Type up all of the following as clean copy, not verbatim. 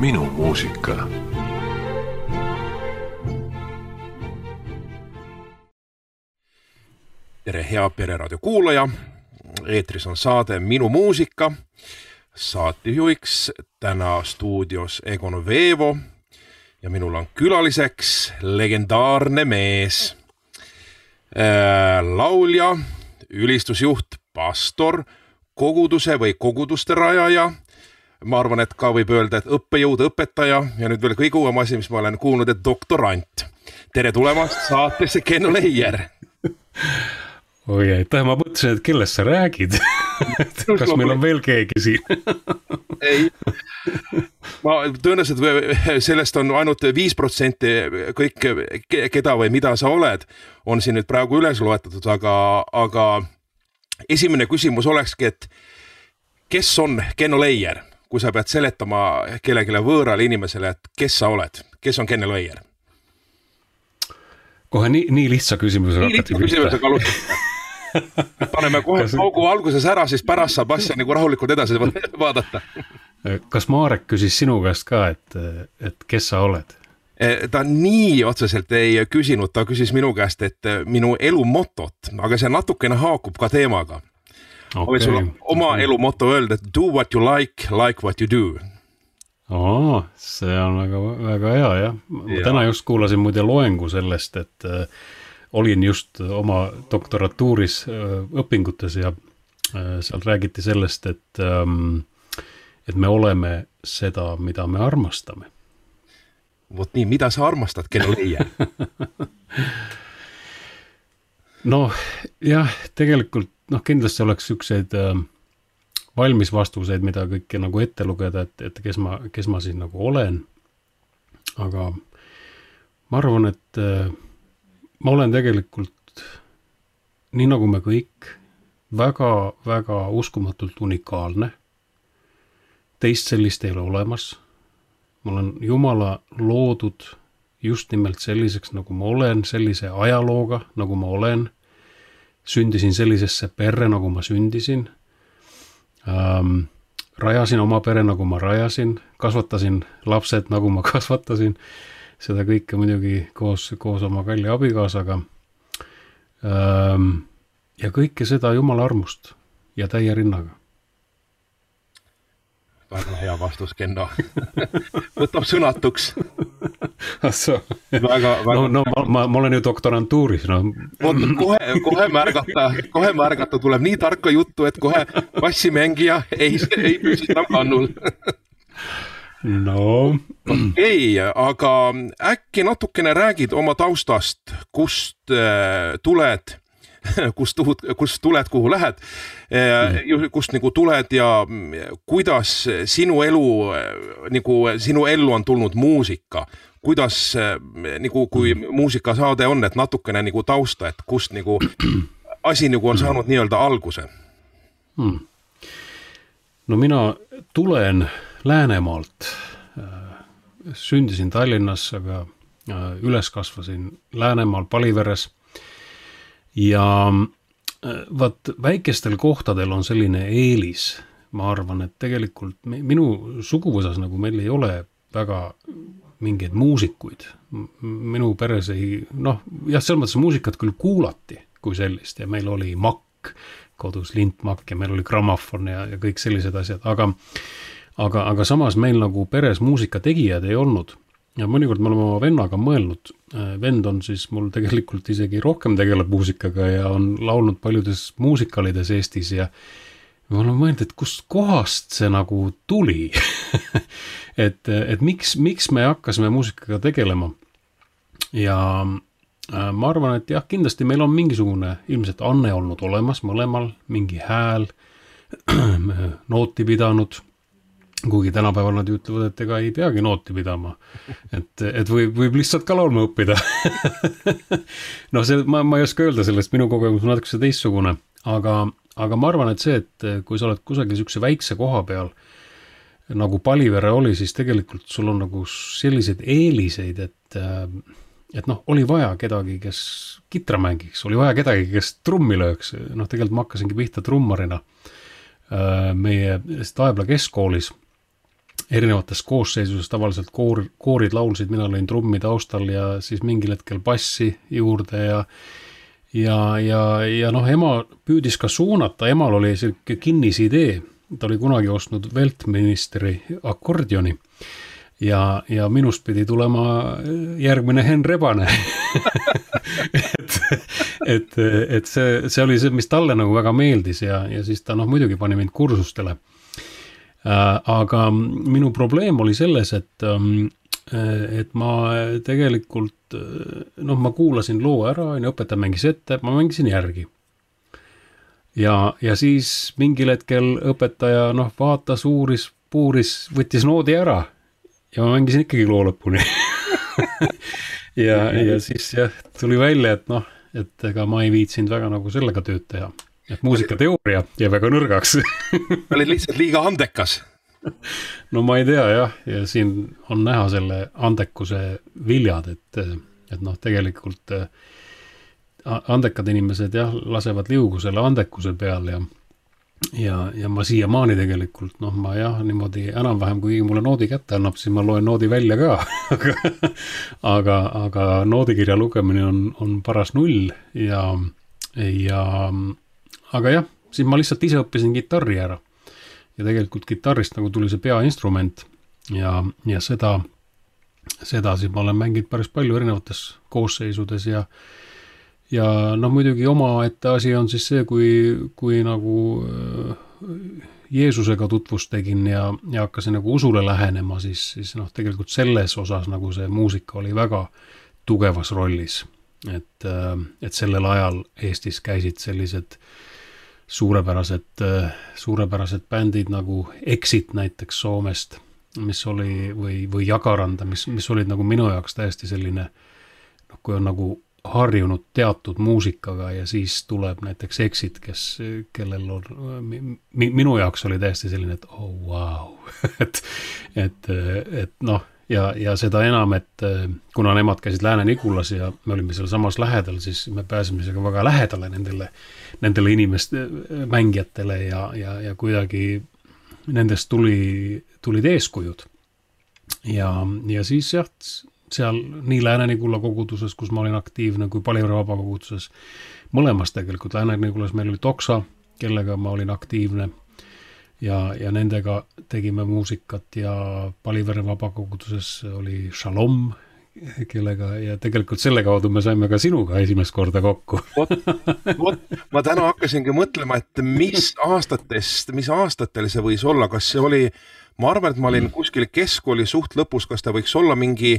Minu muusika. Tere hea Pereraadio kuulaja. Eetris on saade Minu muusika. Saatejuhiks täna stuudios Egon Veevo ja minul on külaliseks legendaarne mees. Laulja, ülistusjuht, pastor, koguduse või koguduste rajaja. Ma arvan, et ka võib öelda, et õppejõud, õpetaja ja nüüd veel kõige uuem asi, mis ma olen kuulnud, et doktorant. Tere tulemast saatesse Kenno Leier. Oi, aitäh, ma mõtlesin, et kellest sa räägid. Kas meil on veel keegi siin? Ei. Ma tõenäoliselt sellest on ainult 5% kõik, keda või mida sa oled, on siin nüüd praegu üles loetatud, aga esimene küsimus olekski, et kes on Kenno Leier? Kui sa pead seletama kellelegi võõrale inimesele, et kes sa oled? Kes on Kenno Leier? Kohe nii lihtsa küsimusega alustada. Paneme kohe paugu alguses ära, siis pärast saab asja nagu rahulikult edasi vaadata. Kas Marek küsis sinu käest ka, et kes sa oled? Ta nii otseselt ei küsinud, ta küsis minu käest, et minu elu motot, aga see natukene haakub ka teemaga. Ma võin sulle oma elu moto öelda, et do what you like what you do. See on väga hea, jah. Ma täna just kuulasin muide loengu sellest, et olin just oma doktoratuuris õpingutes ja seal räägiti sellest, et me oleme seda, mida me armastame. Vot nii, mida sa armastad, Kenno Leier? Jah, tegelikult kindlasti oleks ükseid valmis vastuseid, mida kõike nagu ette lugeda, et kes ma siin nagu olen. Aga ma arvan, et ma olen tegelikult, nii nagu me kõik, väga, väga uskumatult unikaalne. Teist sellist ei ole olemas. Ma olen Jumala loodud just nimelt selliseks, nagu ma olen, sellise ajalooga, nagu ma olen. Sündisin sellisesse perre, nagu ma sündisin. Rajasin oma pere, nagu ma rajasin. Kasvatasin lapsed, nagu ma kasvatasin. Seda kõike muidugi koos oma kalli abikaasaga. Ja kõike seda Jumala armust ja täie rinnaga. Väga hea vastus, Kenno. Võtab sõnatuks. Ma olen ju doktorantuuris. Kohe märgata tuleb nii tarka juttu, et kohe bassimängija ei püsi enam kannul. Ei, aga äkki natukene räägid oma taustast, kust tuled, kuhu lähed, kust nagu tuled ja kuidas sinu ellu on tulnud muusika, kuidas nagu kui muusikasaade on, et natukene nagu tausta, et kust nagu asi nagu on saanud nii-öelda alguse. Mina tulen Läänemaalt, sündisin Tallinnas, aga üles kasvasin Läänemaal Paliveres. Ja väikestel kohtadel on selline eelis, ma arvan, et tegelikult minu suguvõsas nagu meil ei ole väga mingeid muusikuid. Minu peres selles mõttes muusikat küll kuulati kui sellist ja meil oli makk, kodus lintmakk ja meil oli grammofon ja kõik sellised asjad, aga samas meil nagu peres muusikategijad ei olnud. Ja mõnikord me oleme oma vennaga mõelnud. Vend on siis mul tegelikult isegi rohkem tegeleb muusikaga ja on laulnud paljudes muusikalides Eestis ja ma olen mõelnud, et kust kohast see nagu tuli. et miks me hakkasime muusikaga tegelema. Ja ma arvan, et jah, kindlasti meil on mingisugune ilmselt anne olnud olemas mõlemal, mingi hääl, nooti pidanud. Kuigi tänapäeval nad ütlevad, et ega ei peagi nooti pidama. Et võib lihtsalt ka laulma õppida. Ma ei oska öelda sellest, minu kogemus on natuke teistsugune. Aga ma arvan, et see, et kui sa oled kusagil sükse väikse koha peal, nagu Palivere oli, siis tegelikult sul on nagu sellised eeliseid, et oli vaja kedagi, kes kitra mängiks, oli vaja kedagi, kes trummi lööks. Tegelikult ma hakkasingi pihta trummarina meie Taebla keskkoolis. erinevates koosseisuses, tavaliselt koorid laulsid, mina lõin trummi taustal ja siis mingil hetkel bassi juurde ja noh, ema püüdis ka suunata, emal oli selline kinnisidee, ta oli kunagi ostnud Weltministeri akordioni ja minust pidi tulema järgmine Henn Rebane. et see oli see, mis talle nagu väga meeldis ja siis ta noh, muidugi pani mind kursustele. Aga minu probleem oli selles, et ma tegelikult, noh, ma kuulasin loo ära, õpetaja mängis ette, ma mängisin järgi. Ja siis mingil hetkel õpetaja, noh, vaatas, uuris, puuris, võttis noodi ära ja ma mängisin ikkagi loo lõpuni. ja siis jah, tuli välja, et noh, et ega ma ei viitsinud väga nagu sellega tööd teha. Et muusikateooria jäi väga nõrgaks. Olid lihtsalt liiga andekas. No ma ei tea jah, ja siin on näha selle andekuse viljad, et noh, tegelikult andekad inimesed jah, lasevad liugu selle andekuse peal ja ma siiamaani tegelikult, noh, ma jah, niimoodi enam-vähem, kui mulle noodi kätte annab, siis ma loen noodi välja ka, aga noodikirja lugemine on paras null aga jah, siis ma lihtsalt ise õppisin kitarri ära ja tegelikult kitarrist nagu tuli see peainstrument ja seda siis ma olen mänginud päris palju erinevates koosseisudes ja noh, muidugi omaette asi on siis see, kui nagu Jeesusega tutvust tegin ja hakkasin nagu usule lähenema, siis noh, tegelikult selles osas nagu see muusika oli väga tugevas rollis. Et sellel ajal Eestis käisid sellised suurepärased bändid nagu Exit näiteks Soomest, mis oli, või Jagaranda, mis olid nagu minu jaoks täiesti selline, noh, kui on nagu harjunud teatud muusikaga ja siis tuleb näiteks Exit, kellel on, minu jaoks oli täiesti selline, et oh wow, et noh, ja seda enam, et kuna nemad käisid Lääne-Nigulas ja me olime seal samas lähedal, siis me pääsime isegi väga lähedale nendele inimeste mängijatele ja kuidagi nendest tulid eeskujud. Ja siis jah, seal nii Lääne-Nigula koguduses, kus ma olin aktiivne, kui Palivere vabakoguduses, mõlemas tegelikult. Lääne-Nigulas meil oli Toksa, kellega ma olin aktiivne ja nendega tegime muusikat ja Palivere vabakoguduses oli Shalom, kellega ja tegelikult selle kaudu me saime ka sinuga esimest korda kokku. Ma täna hakkasingi mõtlema, et mis aastatel see võis olla, kas see oli, ma arvan, et ma olin kuskil keskkooli suht lõpus, kas ta võiks olla mingi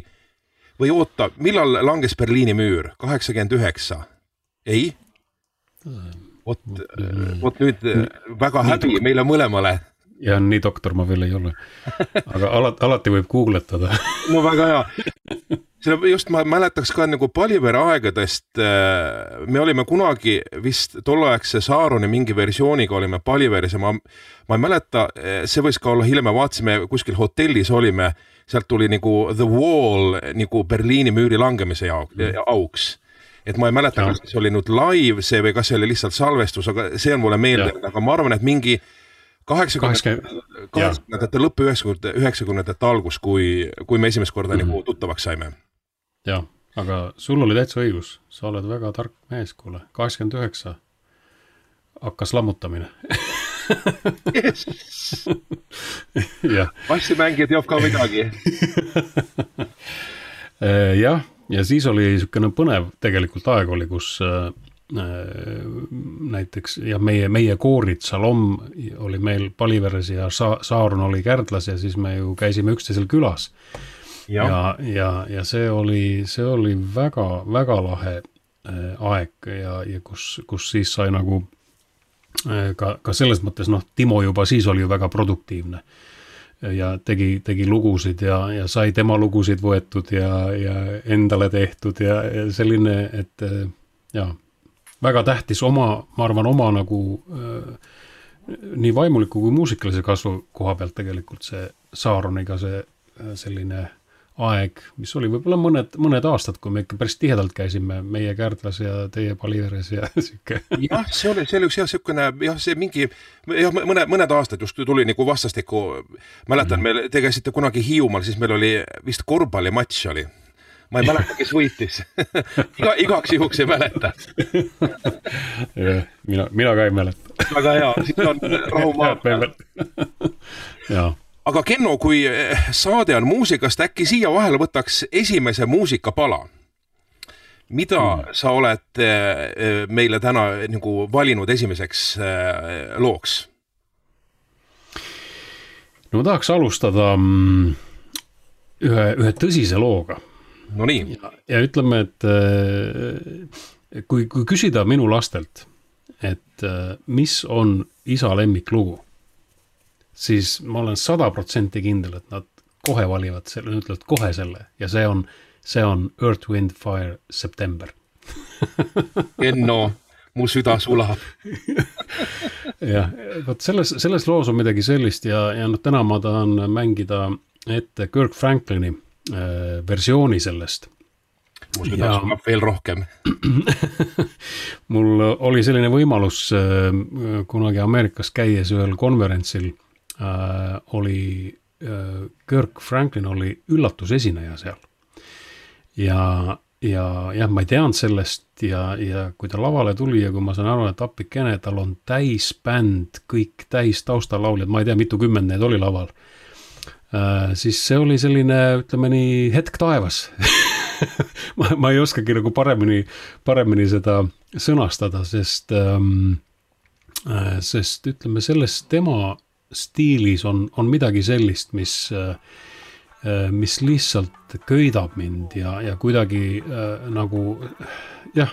või oota, millal langes Berliini müür? 89? Ei? Vot nüüd väga häbi meile mõlemale. Ja nii doktor ma veel ei ole. Aga alati võib googletada. No väga hea. Just ma mäletaks ka nagu Palivere aegadest, me olime kunagi vist tolleaegse Saaroni mingi versiooniga olime Paliveres ja ma ei mäleta, see võis ka olla hiljem, me vaatasime kuskil hotellis olime, sealt tuli nagu The Wall nagu Berliini müüri langemise auks. Et ma ei mäleta, kas see oli nüüd live see või kas see oli lihtsalt salvestus, aga see on mulle meeldinud, aga ma arvan, et mingi 80-ndate lõppu 90-ndate algus, kui me esimest korda nagu tuttavaks saime. Jah, aga sul oli täitsa õigus, sa oled väga tark mees, kuule, 89 hakkas lammutamine. Yes. Bassimängijad teab ka midagi. Jah, ja siis oli niisugune põnev tegelikult aeg oli, kus näiteks ja meie koorid Salom oli meil Paliveres ja Saarun oli Kärdlas ja siis me ju käisime üksteisel külas. Ja see oli väga, väga lahe aeg ja kus siis sai nagu ka selles mõttes, noh, Timo juba siis oli ju väga produktiivne ja tegi lugusid ja sai tema lugusid võetud ja endale tehtud ja selline, et ja väga tähtis ma arvan, oma nagu nii vaimuliku kui muusikalise kasvu koha pealt tegelikult see Saaroniga see selline aeg, mis oli võib-olla mõned aastad, kui me ikka päris tihedalt käisime meie Kärdlas ja teie Paliveres ja siuke. Jah, see oli üks siukene, see mingi, mõned aastad just tuli nagu vastastikku, mäletan, te käisite kunagi Hiiumaal, siis meil oli vist korvpallimatš oli. Ma ei mäleta, kes võitis. Igaks juhuks ei mäleta. mina ka ei mäleta. Väga hea, siis on rahumaa. Jaa. Aga Kenno, kui saade on muusikast, äkki siia vahele võtaks esimese muusikapala. Mida sa oled meile täna nagu valinud esimeseks looks? No ma tahaks alustada ühe tõsise looga. No nii. Ja ütleme, et kui küsida minu lastelt, et mis on isa lemmiklugu, siis ma olen 100% kindel, et nad kohe valivad selle, ütlevad kohe selle ja see on Earth, Wind, Fire, September. Enno, mu süda sulab. Jah, võt selles loos on midagi sellist ja täna ma tahan mängida ette Kirk Franklini versiooni sellest. Mu süda sulab veel rohkem. Mul oli selline võimalus kunagi Ameerikas käies ühel konverentsil oli Kirk Franklin oli üllatusesineja seal. Ja ma ei teadnud sellest ja kui ta lavale tuli ja kui ma saan aru, et appikene, tal on täis bänd, kõik täis taustalauljad, ma ei tea, mitu kümmend need oli laval, siis see oli selline, ütleme nii, hetk taevas. ma ei oskagi nagu paremini seda sõnastada, sest ütleme, selles tema stiilis on midagi sellist, mis lihtsalt köidab mind ja kuidagi nagu jah,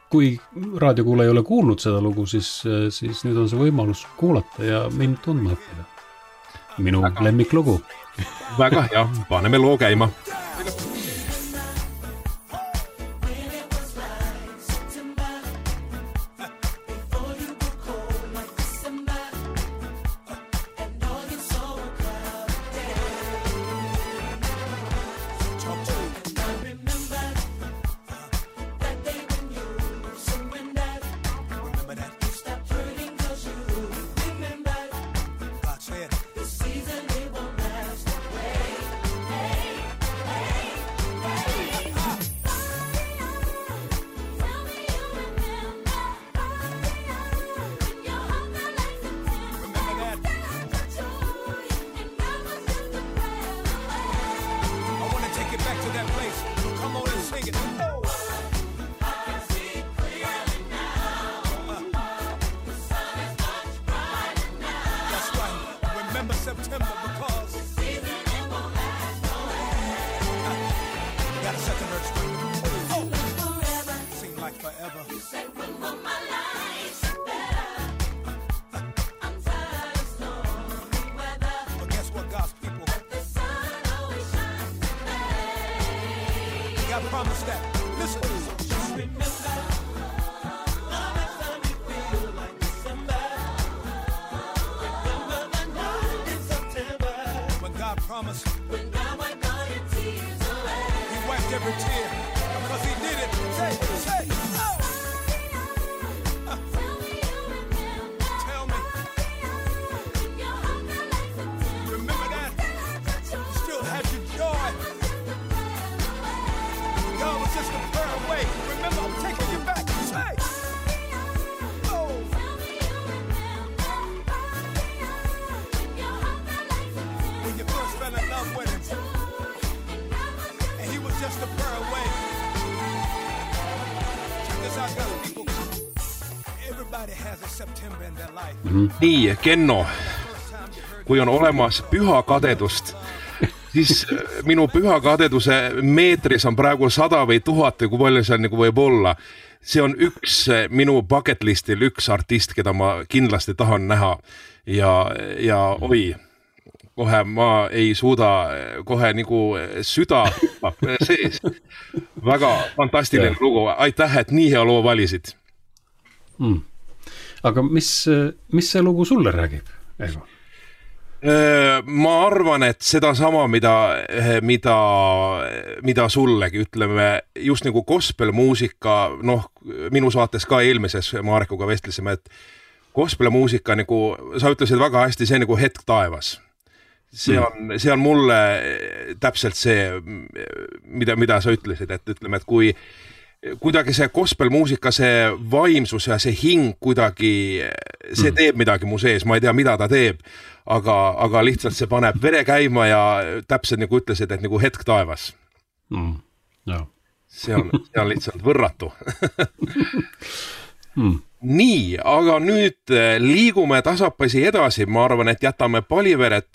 kui raadiokuule ei ole kuulnud seda lugu, siis nüüd on see võimalus kuulata ja mind tundma õppida. Minu lemmiklugu. Väga hea, paneme loo käima. Nii, Kenno, kui on olemas püha kadedust, siis minu püha kadeduse meetris on praegu 100 või 1000 või kui palju see on nagu võib olla. See on üks minu bucket listil, üks artist, keda ma kindlasti tahan näha ja oi, kohe ma ei suuda, kohe nagu süda sees. Väga fantastiline lugu, aitäh, et nii hea loo valisid. Aga mis see lugu sulle räägib, Eevo? Ma arvan, et seda sama, mida sullegi, ütleme, just nagu gospelmuusika, noh, minu saates ka eelmises Marekuga vestlesime, et gospelmuusika, nagu sa ütlesid väga hästi, see nagu hetk taevas. See on mulle täpselt see, mida sa ütlesid, et ütleme, et kui kuidagi see gospelmuusika, see vaimsus ja see hing kuidagi, see teeb midagi mu sees, ma ei tea, mida ta teeb, aga lihtsalt see paneb vere käima ja täpselt nagu ütlesid, et nagu hetk taevas. Ja. See on lihtsalt võrratu. Nii, aga nüüd liigume tasapisi edasi, ma arvan, et jätame Paliveret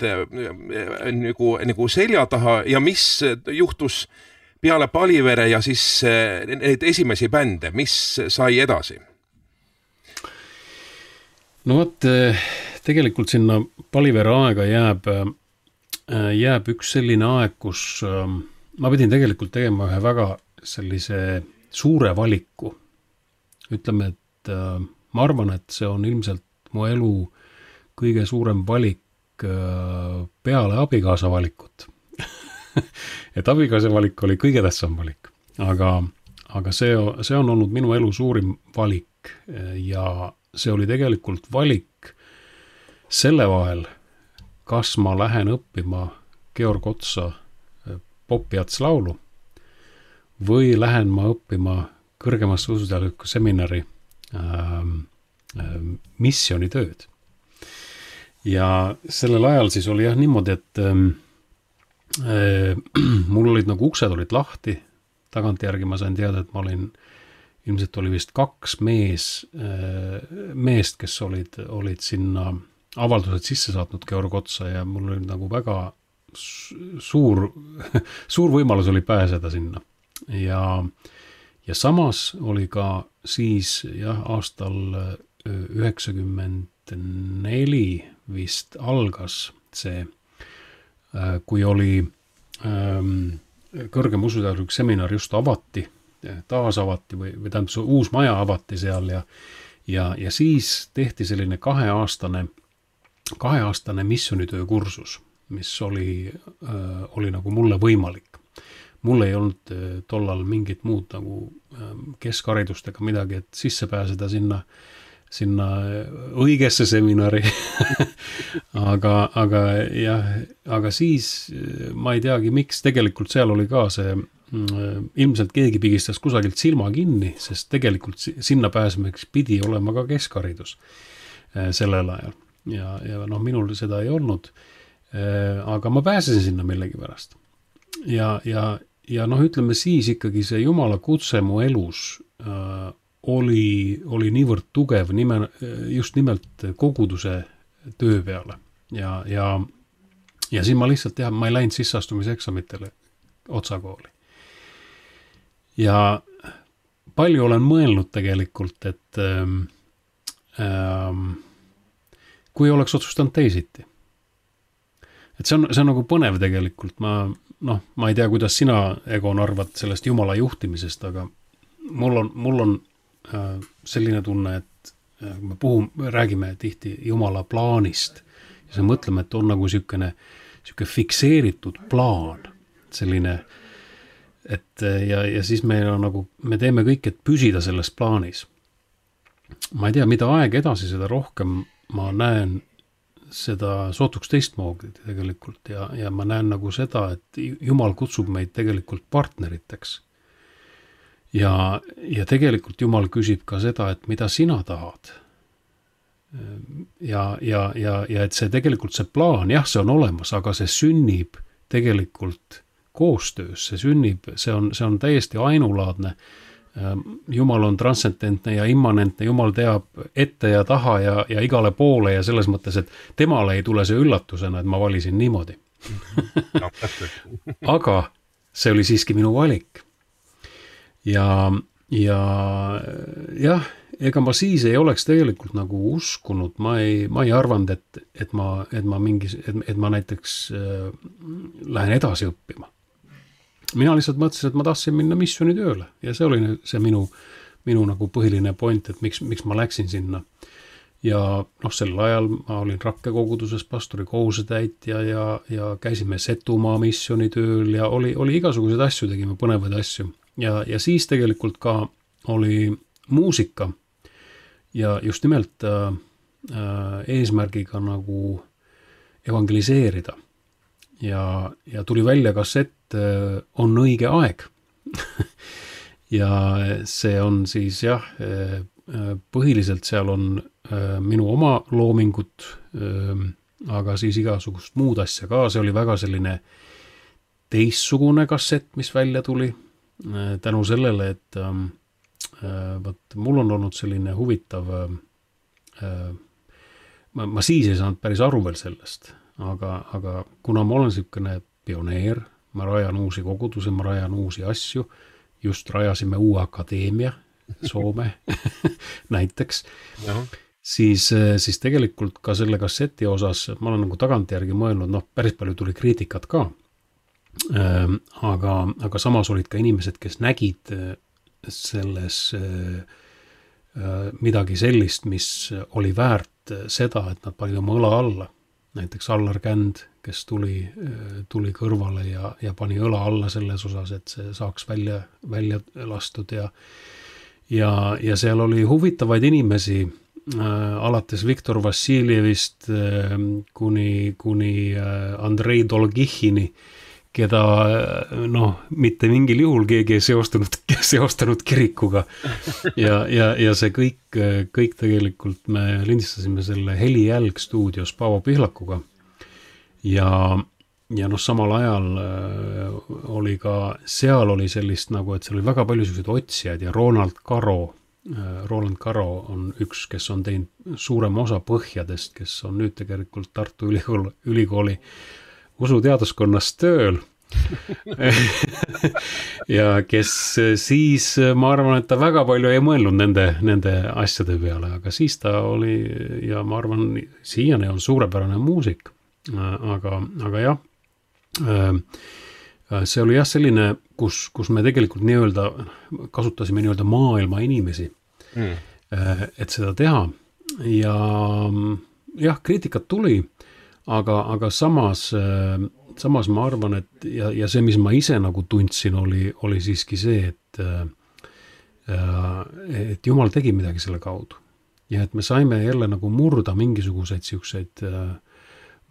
nagu selja taha ja mis juhtus peale Palivere ja siis neid esimesi bände, mis sai edasi? No vot, tegelikult sinna Palivere aega jääb üks selline aeg, kus ma pidin tegelikult tegema ühe väga sellise suure valiku. Ütleme, et ma arvan, et see on ilmselt mu elu kõige suurem valik peale abikaasa valikut. Et abikaasa valik oli kõige tähtsam valik, aga see on olnud minu elu suurim valik ja see oli tegelikult valik selle vahel, kas ma lähen õppima Georg Otsa popiatslaulu või lähen ma õppima kõrgemasse usuteaduslikku seminari missioonitööd. Ja sellel ajal siis oli jah niimoodi, et mul olid nagu uksed olid lahti, tagantjärgi ma sain teada, et ma olin, ilmselt oli vist 2 meest, kes olid sinna avaldused sisse saatnud Georg Otsa ja mul oli nagu väga suur võimalus oli pääseda sinna. Ja samas oli ka siis jah, aastal 94 vist algas see, kui oli kõrgem usuteaduslik seminar just avati, taas avati või tähendab see uus maja avati seal ja siis tehti selline kaheaastane missioonitöö kursus, mis oli nagu mulle võimalik. Mul ei olnud tollal mingit muud nagu keskharidust ega midagi, et sisse pääseda sinna õigesse seminari. aga siis ma ei teagi, miks tegelikult seal oli ka see, ilmselt keegi pigistas kusagilt silma kinni, sest tegelikult sinna pääsemeks pidi olema ka keskharidus sellel ajal. Ja noh, minul seda ei olnud, aga ma pääsesin sinna millegi pärast. Ja noh, ütleme siis ikkagi see Jumala kutse mu elus oli niivõrd tugev just nimelt koguduse töö peale. Ja siis ma lihtsalt ma ei läinud sisseastumiseksamitele Otsakooli. Ja palju olen mõelnud tegelikult, et kui oleks otsustanud teisiti. Et see on nagu põnev tegelikult. Ma ei tea, kuidas sina, Egon, arvad sellest Jumala juhtimisest, aga mul on selline tunne, et me räägime tihti Jumala plaanist ja siis mõtleme, et on nagu siukene fikseeritud plaan, selline, et ja siis meil on nagu, me teeme kõik, et püsida selles plaanis. Ma ei tea, mida aeg edasi, seda rohkem ma näen seda sootuks teistmoodi tegelikult ja ma näen nagu seda, et Jumal kutsub meid tegelikult partneriteks. Ja tegelikult Jumal küsib ka seda, et mida sina tahad. Ja et see tegelikult see plaan, jah, see on olemas, aga see sünnib tegelikult koostöös, see on täiesti ainulaadne. Jumal on transcendentne ja immanentne, Jumal teab ette ja taha ja igale poole ja selles mõttes, et temale ei tule see üllatusena, et ma valisin niimoodi. Aga see oli siiski minu valik. Ja jah, ega ma siis ei oleks tegelikult nagu uskunud, ma ei arvanud, et ma näiteks lähen edasi õppima. Mina lihtsalt mõtlesin, et ma tahtsin minna missioonitööle ja see oli see minu nagu põhiline point, et miks ma läksin sinna. ja noh, sel ajal ma olin Rakke koguduses pastori kohusetäitja ja käisime Setumaa missioonitööl ja oli igasuguseid asju, tegime põnevaid asju. Ja siis tegelikult ka oli muusika ja just nimelt eesmärgiga nagu evangeliseerida. Ja tuli välja kassett On õige aeg. Ja see on siis jah, põhiliselt seal on minu oma loomingut, aga siis igasugust muud asja ka. See oli väga selline teistsugune kassett, mis välja tuli tänu sellele, et mul on olnud selline huvitav, ma siis ei saanud päris aru veel sellest, aga kuna ma olen selline pioneer, ma rajan uusi kogudusi, ma rajan uusi asju, just rajasime uue akadeemia Soome näiteks, siis tegelikult ka selle kasseti osas ma olen nagu tagantjärgi mõelnud, noh, päris palju tuli kriitikat ka, aga samas olid ka inimesed, kes nägid selles midagi sellist, mis oli väärt seda, et nad panid oma õla alla. Näiteks Allar Känd, kes tuli kõrvale ja pani õla alla selles osas, et see saaks välja lastud ja seal oli huvitavaid inimesi, alates Viktor Vassiljevist kuni Andrei Dolgihini, keda noh, mitte mingil juhul keegi ei seostanud kirikuga. Ja see kõik tegelikult me lindistasime selle Helijälg stuudios Paavo Pihlakuga. Ja noh, samal ajal oli ka, seal oli sellist nagu, et seal oli väga palju selliseid otsijaid ja Roland Karo on üks, kes on teinud suurema osa põhjadest, kes on nüüd tegelikult Tartu Ülikooli usuteaduskonnas tööl ja kes siis, ma arvan, et ta väga palju ei mõelnud nende asjade peale, aga siis ta oli ja ma arvan, siiani on suurepärane muusik, aga jah, see oli jah selline, kus me tegelikult kasutasime maailma inimesi, et seda teha ja jah, kriitikat tuli, aga samas ma arvan, et ja see, mis ma ise nagu tundsin, oli siiski see, et Jumal tegi midagi selle kaudu. Ja et me saime jälle nagu murda mingisuguseid siukseid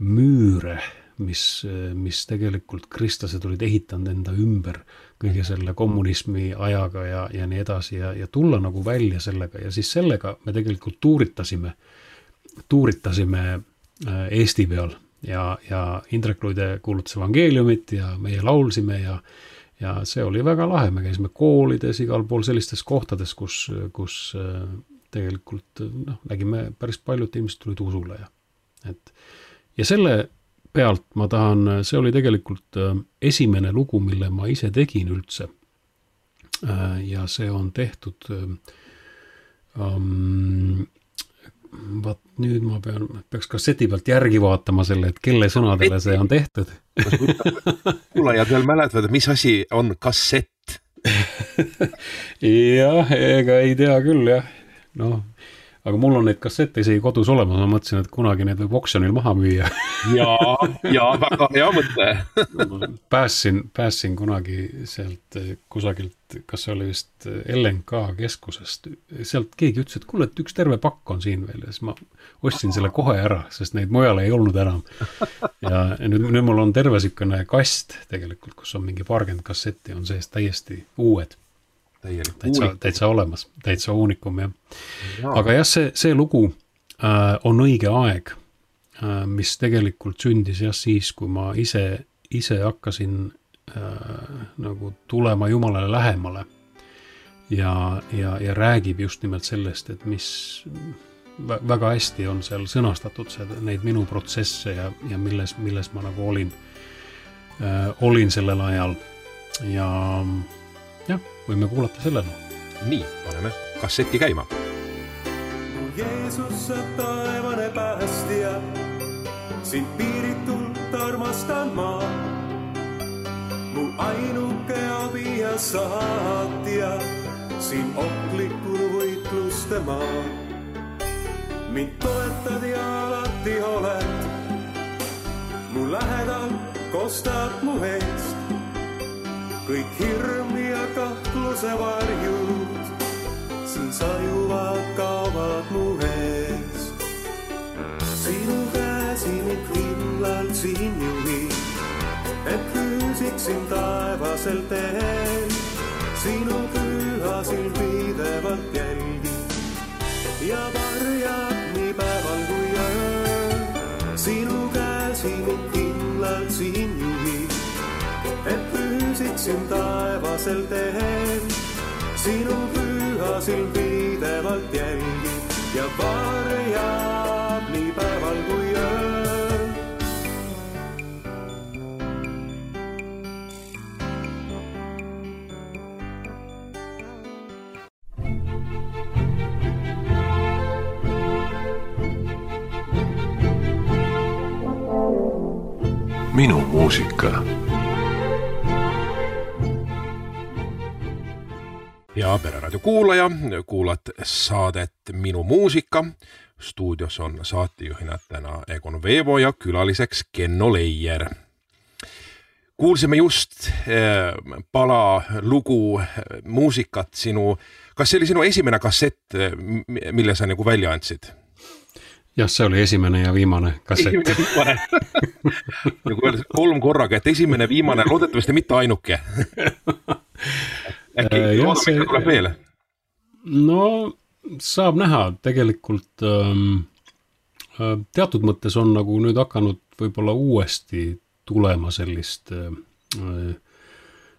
müüre, mis tegelikult kristlased olid ehitanud enda ümber kõige selle kommunismi ajaga ja nii edasi ja tulla nagu välja sellega ja siis sellega me tegelikult tuuritasime Eesti peal ja Indrek Luide kuulutas evangeeliumit ja meie laulsime ja see oli väga lahe, me käisime koolides igal pool sellistes kohtades, kus tegelikult nägime päris paljud inimesed tulid usule ja selle pealt ma tahan, see oli tegelikult esimene lugu, mille ma ise tegin üldse ja see on tehtud vaat nüüd ma peaks kasseti pealt järgi vaatama selle, et kelle sõnadele see on tehtud. Kuulajad veel mäletavad, mis asi on kassett? Jah, ega ei tea küll, jah. Noh, aga mul on neid kassette isegi kodus olemas, ma mõtlesin, et kunagi need võib oksjonil maha müüa. ja väga hea mõte. Päässin kunagi sealt kusagilt, kas see oli vist LNK keskusest, sealt keegi ütles, et kuule, et üks terve pakk on siin veel ja siis ma ostsin selle kohe ära, sest neid mujal ei olnud enam. Ja nüüd mul on terve siukene kast tegelikult, kus on mingi 40 kassetti, on sees täiesti uued. Täitsa olemas, täitsa uunikum, jah. Aga jah, see lugu On õige aeg, mis tegelikult sündis jah siis, kui ma ise hakkasin nagu tulema Jumalale lähemale ja räägib just nimelt sellest, et mis väga hästi on seal sõnastatud neid minu protsesse ja milles ma nagu olin sellel ajal ja jah, võime kuulata sellele. Nii, paneme kasseti käima. Jeesus, sa taevane päästja, sind piiritult armastan ma. Mu ainuke abi ja saatja, siin ohtlikul võitluste maa. mind toetad ja alati oled. Mu lähedal kostad mu eest. Kõik hirm ja kahtluse varjud siin sajuvad, kaovad mu eest. Sinu käsi mind kindlalt siin juhib, et püüsiksin taevasel teel. Sinu püha silm pidevalt jälgib ja varjab nii päeval kui ööl. Sinu käsi mind kindlalt siin juhib, et püüsiksin taevasel teel. Sinu püha silm pidevalt jälgib ja varjab nii päeval kui ööl. Minu muusika. Ja Pereraadio kuulaja, kuulad saadet Minu muusika. Stuudios on saatejuhina täna Egon Veevo ja külaliseks Kenno Leier. Kuulsime just pala lugu muusikat sinu, kas see oli sinu esimene kassett, mille sa nagu välja andsid? Jah, see oli esimene ja viimane kassett. Esimene viimane. Nagu öeldes 3 korraga, et esimene, viimane, loodetavasti mitte ainuke. Äkki loodame, et tuleb veel? No, saab näha. Tegelikult teatud mõttes on nagu nüüd hakanud võib-olla uuesti tulema sellist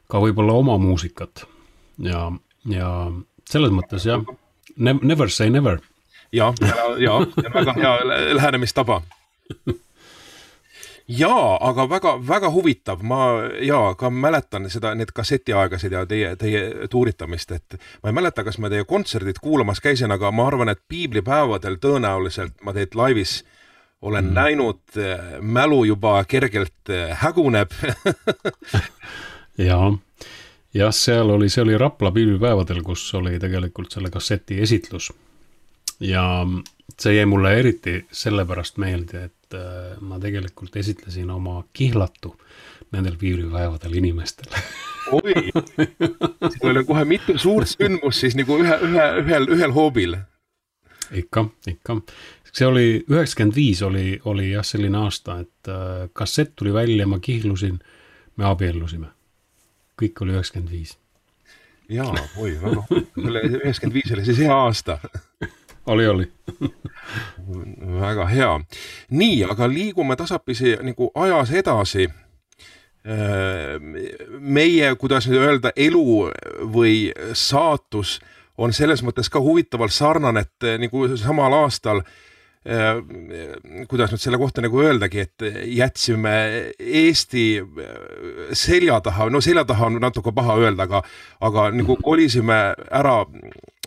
ka võib-olla oma muusikat. Ja selles mõttes, jah, never say never. Ja, väga hea lähenemistaba. Jaa, aga väga huvitav. Ma ka mäletan seda, need kassetiaegasid ja teie tuuritamist, et ma ei mäleta, kas ma teie kontserdid kuulamas käisin, aga ma arvan, et piiblipäevadel tõenäoliselt ma teid laivis olen näinud, mälu juba kergelt häguneb. Ja see oli Rapla piiblipäevadel, kus oli tegelikult selle kasseti esitlus. Ja see jäi mulle eriti sellepärast meelde, et ma tegelikult esitlesin oma kihlatu nendel piiblipäevadel inimestele. Oi, siin oli kohe mitu suurt sündmus siis nagu ühel hoobil. Ikka. See oli 95 oli jah selline aasta, et kassett tuli välja, ma kihlusin, me abiellusime. Kõik oli 95. Jaa, väga 95 oli siis hea aasta. Oli. Väga hea. Nii, aga liigume tasapisi nagu ajas edasi. Meie, kuidas nüüd öelda, elu või saatus on selles mõttes ka huvitaval sarnane, et nagu samal aastal, kuidas nüüd selle kohta nagu öeldagi, et jätsime Eesti selja taha on natuke paha öelda, aga nagu kolisime ära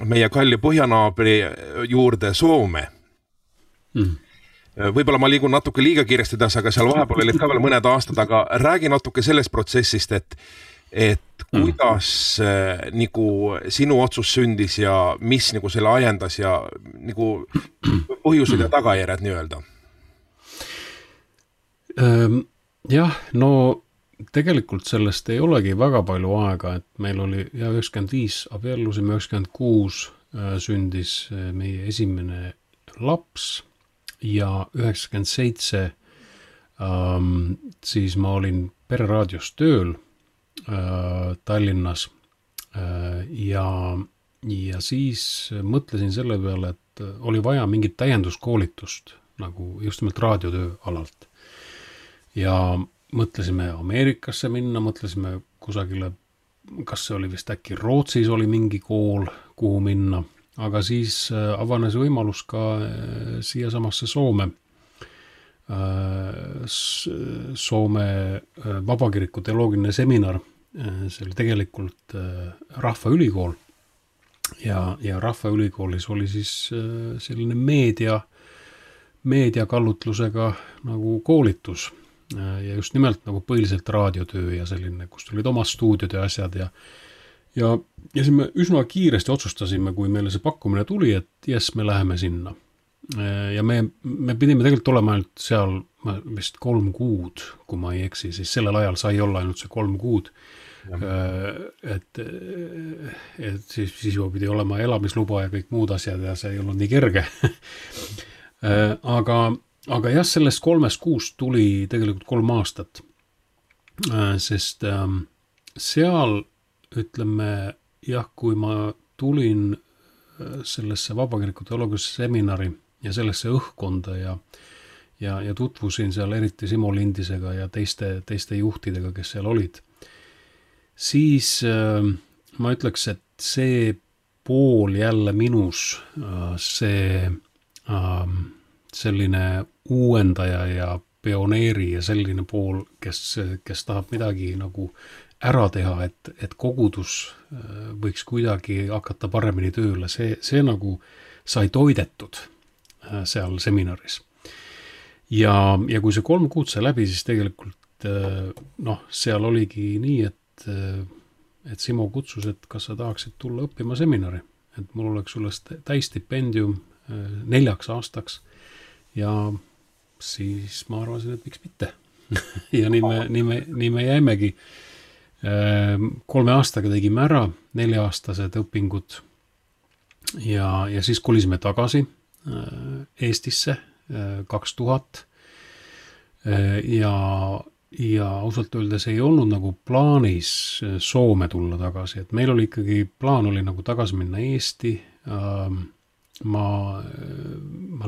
meie kalli põhjanaabri juurde Soome. Võib-olla ma liigun natuke liiga kiiresti edasi, aga seal vahepeal olid ka veel mõned aastad, aga räägi natuke sellest protsessist, et kuidas nagu sinu otsus sündis ja mis nagu selle ajendas ja nagu põhjused ja tagajärjed nii öelda? Jah, no tegelikult sellest ei olegi väga palju aega, et meil oli 95 abiellusime, 96 sündis meie esimene laps ja 97 siis ma olin Pereraadios tööl Tallinnas ja siis mõtlesin selle peale, et oli vaja mingit täienduskoolitust nagu just nimelt raadiotöö alalt. Ja mõtlesime Ameerikasse minna, mõtlesime kusagile, kas see oli vist äkki Rootsis oli mingi kool, kuhu minna, aga siis avanes võimalus ka siia samasse Soome Vabakiriku teoloogiline seminar. See oli tegelikult Rahvaülikool ja Rahvaülikoolis oli siis selline meediakallutlusega nagu koolitus ja just nimelt nagu põhiliselt raadiotöö ja selline, kus olid omad stuudiod ja asjad ja siis me üsna kiiresti otsustasime, kui meile see pakkumine tuli, et jes, me läheme sinna. ja me pidime tegelikult olema ainult seal vist 3 kuud, kui ma ei eksi, siis sellel ajal sai olla ainult see 3 kuud. Et siis juba pidi olema elamisluba ja kõik muud asjad ja see ei olnud nii kerge. Aga jah, sellest 3 kuust tuli tegelikult 3 aastat, sest seal ütleme jah, kui ma tulin sellesse vabakiriku teoloogiasse seminari ja sellesse õhkkonda ja tutvusin seal eriti Simo Lindisega ja teiste juhtidega, kes seal olid, siis ma ütleks, et see pool jälle minus, see selline uuendaja ja pioneeri ja selline pool, kes tahab midagi nagu ära teha, et kogudus võiks kuidagi hakata paremini tööle, see nagu sai toidetud seal seminaris. Ja kui see 3 kuud sai läbi, siis tegelikult seal oligi nii, et Simo kutsus, et kas sa tahaksid tulla õppima seminari, et mul oleks sulle täistipendium 4 aastaks ja siis ma arvasin, et miks mitte. Ja nii me jäimegi. 3 aastaga tegime ära 4-aastased õpingud ja siis kolisime tagasi Eestisse 2000 ja ausalt öeldes ei olnud nagu plaanis Soome tulla tagasi, et meil oli ikkagi plaan oli nagu tagasi minna Eesti. Ma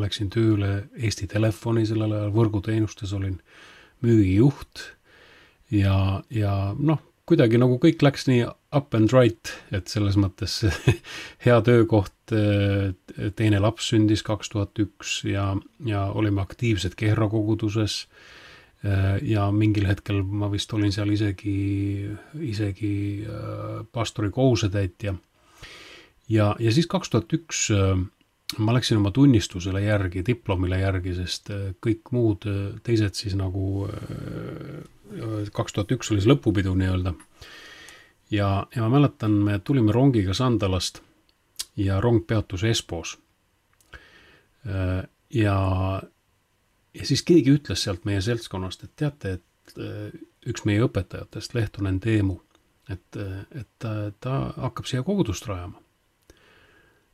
läksin tööle Eesti Telefoni sellel ajal, võrguteenustes olin müügijuht ja kuidagi nagu kõik läks nii up and right, et selles mõttes hea töökoht, teine laps sündis 2001 ja olime aktiivsed Kehra koguduses ja mingil hetkel ma vist olin seal isegi pastori kohusetäitja. Ja siis 2001 ma läksin oma tunnistusele järgi, diplomile järgi, sest kõik muud teised siis nagu 2001 oli see lõpupidu nii-öelda. Ja ma mäletan, me tulime rongiga Sandalast ja rong peatus Espoos. Ja siis keegi ütles sealt meie seltskonnast, et teate, et üks meie õpetajatest, Lehtonen Teemu, et ta hakkab siia kogudust rajama.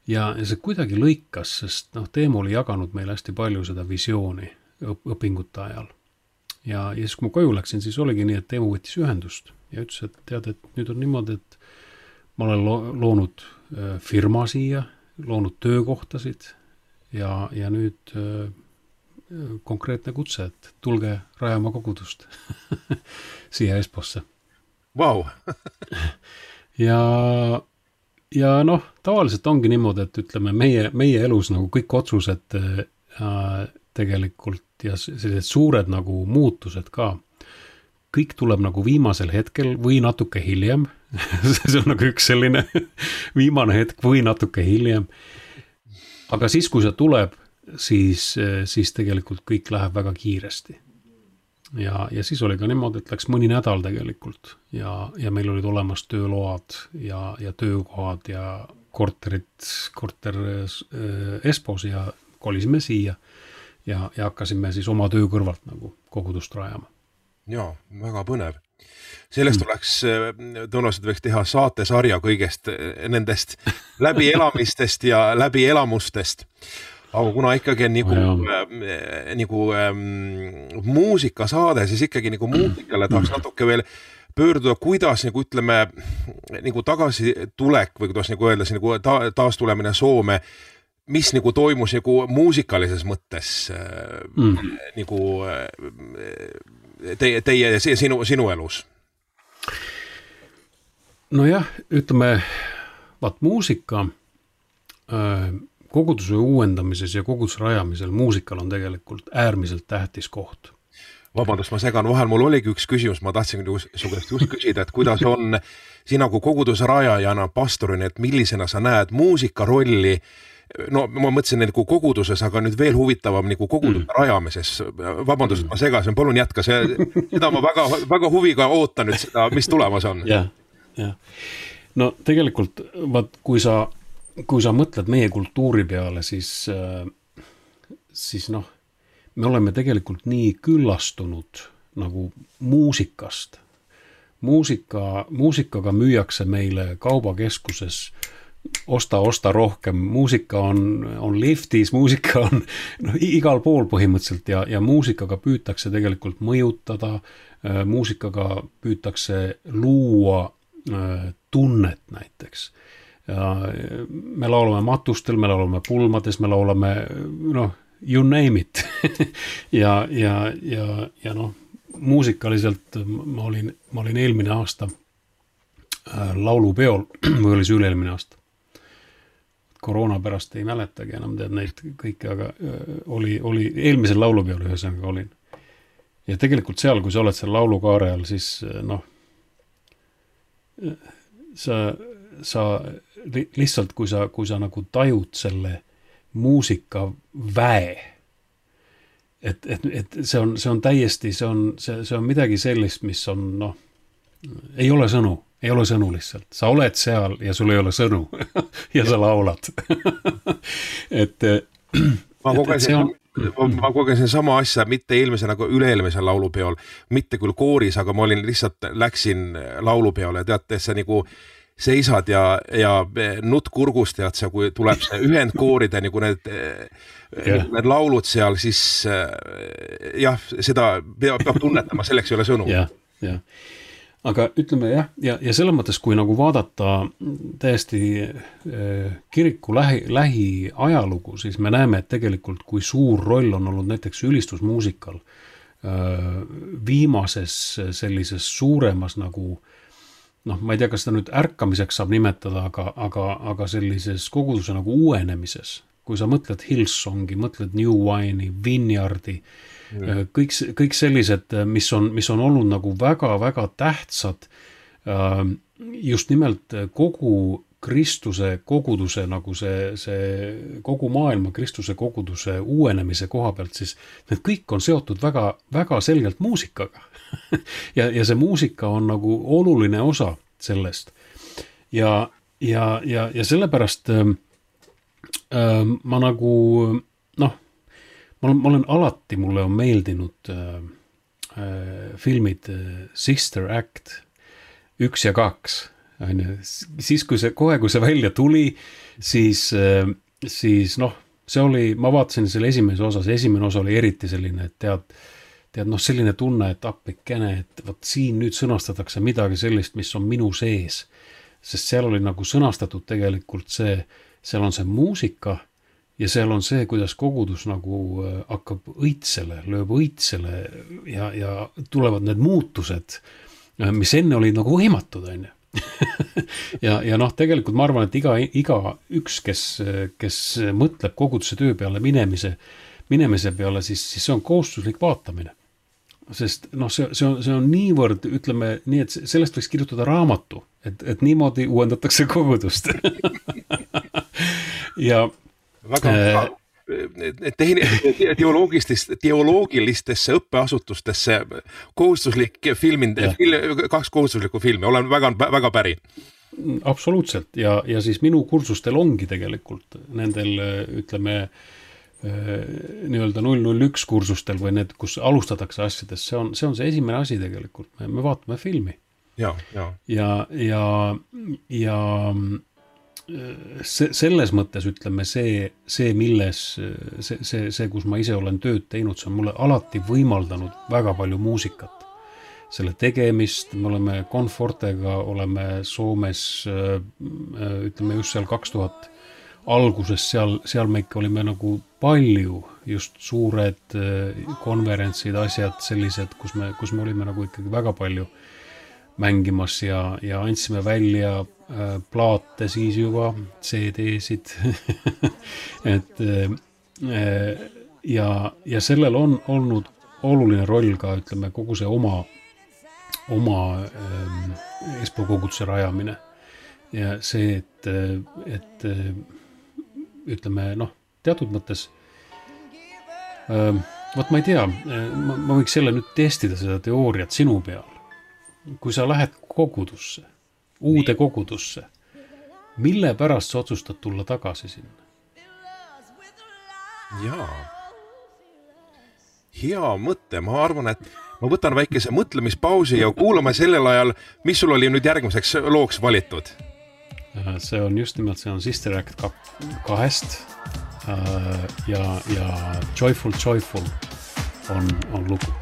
Ja see kuidagi lõikas, sest Teemu oli jaganud meile hästi palju seda visiooni õpingute ajal. Ja siis kui ma koju läksin, siis oligi nii, et Teemu võttis ühendust ja ütles, et tead, et nüüd on niimoodi, et ma olen loonud firma siia, loonud töökohtasid ja nüüd konkreetne kutse, et tulge rajama kogudust siia Esposse. Vau! Ja tavaliselt ongi niimoodi, et ütleme meie elus nagu kõik otsused tegelikult ja sellised suured nagu muutused ka, kõik tuleb nagu viimasel hetkel või natuke hiljem. See on nagu üks selline viimane hetk või natuke hiljem. Aga siis, kui see tuleb, siis tegelikult kõik läheb väga kiiresti. Ja siis oli ka niimoodi, et läks mõni nädal tegelikult ja meil olid olemas tööload ja töökohad ja korter Espoos ja kolisime siia ja hakkasime siis oma töö kõrvalt nagu kogudust rajama. Jaa, väga põnev. Sellest oleks, tõenäoliselt võiks teha saatesarja kõigest nendest läbielamistest ja läbielamustest. Aga kuna ikkagi on nagu muusikasaade, siis ikkagi nagu muusikale tahaks natuke veel pöörduda, kuidas nagu ütleme nagu tagasi tulek või kuidas nagu öelda, nagu taastulemine Soome, mis nagu toimus nagu muusikalises mõttes nagu teie ja sinu elus? Nojah, ütleme, muusika koguduse uuendamises ja koguduse rajamisel muusikal on tegelikult äärmiselt tähtis koht. Vabandust, ma segan vahel, mul oligi üks küsimus, ma tahtsin su käest just küsida, et kuidas on sina kui koguduse rajajana, pastorina, et millisena sa näed muusika rolli, no ma mõtlesin nagu koguduses, aga nüüd veel huvitavam nagu koguduse rajamises. Vabandust, ma segasin, palun jätka, seda ma väga huviga ootan nüüd seda, mis tulemas on. Ja. No tegelikult, kui sa mõtled meie kultuuri peale, siis siis noh, me oleme tegelikult nii küllastunud nagu muusikast. Muusikaga müüakse meile kaubakeskuses osta rohkem, muusika on liftis, muusika on igal pool põhimõtteliselt ja muusikaga püütakse tegelikult mõjutada, muusikaga püütakse luua tunnet näiteks. Me laulame matustel, me laulame pulmades, me laulame, you name it. ja muusikaliselt ma olin eelmine aasta laulupeol, või oli see üle-eelmine aasta. Koroona pärast ei mäletagi enam tead neid kõike, aga oli eelmisel laulupeol ühesõnaga olin. Ja tegelikult seal, kui sa oled seal laulukaare all, siis sa lihtsalt, kui sa nagu tajud selle muusika väe, et see on täiesti, see on midagi sellist, mis on, ei ole sõnu lihtsalt. Sa oled seal ja sul ei ole sõnu ja sa laulad. Ma kogesin sama asja, mitte eelmise nagu üle-eelmisel laulupeol, mitte küll kooris, aga ma läksin laulupeole ja teate, see nagu seisad ja nutt kurgust tead sa, kui tuleb see ühendkooride nagu need laulud seal, siis jah, seda peab tunnetama, selleks ei ole sõnu. jah. Aga ütleme ja selles mõttes, kui nagu vaadata täiesti kiriku lähiajalugu, siis me näeme, et tegelikult kui suur roll on olnud näiteks ülistusmuusikal viimases sellises suuremas nagu, ma ei tea, kas ta nüüd ärkamiseks saab nimetada, aga sellises koguduse nagu uuenemises, kui sa mõtled Hillsongi, mõtled New Wine'i, Vineyardi, kõik sellised, mis on olnud nagu väga-väga tähtsad just nimelt kogu Kristuse koguduse nagu see kogu maailma Kristuse koguduse uuenemise koha pealt, siis need kõik on seotud väga selgelt muusikaga. ja see muusika on nagu oluline osa sellest. Ja sellepärast ma nagu ma olen alati, mulle on meeldinud filmid Sister Act 1 ja 2. Siis kui see välja tuli, siis see oli, ma vaatasin selle esimene osa oli eriti selline, et tead selline tunne, et appikene, et võt siin nüüd sõnastatakse midagi sellist, mis on minu sees. Sest seal oli nagu sõnastatud tegelikult seal on see muusika, ja seal on see, kuidas kogudus nagu hakkab lööb õitsele ja tulevad need muutused, mis enne olid nagu võimatud, on ju. ja tegelikult ma arvan, et iga üks, kes mõtleb koguduse töö peale minemise peale, siis see on kohustuslik vaatamine. Sest see on niivõrd, ütleme nii, et sellest võiks kirjutada raamatu, et niimoodi uuendatakse kogudust. Ja teoloogilistesse õppeasutustesse kohustuslik kaks kohustuslikku filmi, olen väga päri. Absoluutselt ja siis minu kursustel ongi tegelikult nendel, ütleme, nii-öelda 001 kursustel või need, kus alustatakse asjadest, see on see esimene asi tegelikult, me vaatame filmi. Ja selles mõttes ütleme see milles see, kus ma ise olen tööd teinud, see on mulle alati võimaldanud väga palju muusikat. Selle tegemist, me oleme Confortega, oleme Soomes, ütleme just seal 2000 alguses, seal me ikka olime nagu palju, just suured konverentsid, asjad sellised, kus me olime nagu ikkagi väga palju mängimas ja andsime välja plaate siis juba, CD-sid, ja sellel on olnud oluline roll ka, ütleme, kogu see oma Espoo koguduse rajamine ja see, et ütleme, teatud mõttes võt ma ei tea, ma võiks jälle nüüd testida seda teooriat sinu peal. Kui sa lähed kogudusse, uude kogudusse, mille pärast sa otsustad tulla tagasi sinna? Jaa. hea mõte, ma arvan, et ma võtan väikese mõtlemispausi ja kuulame sellel ajal, mis sul oli nüüd järgmiseks looks valitud? See on just nimelt, see on Sister Act 2 ja Joyful Joyful on lugu.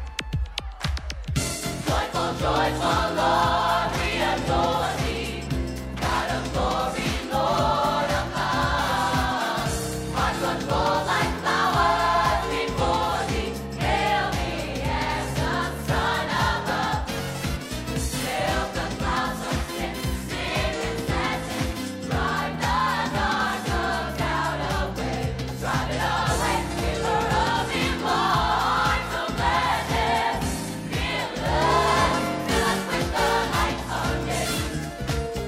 Joyful, joyful Lord, we adore thee, God of glory, Lord of love. Hearts unfold like flowers before thee, hail me as the Son of love. Sail the clouds of sin, sin and sadness, drive the dark of doubt away, drive it away, giver of immortal gladness, fill us with the light of day,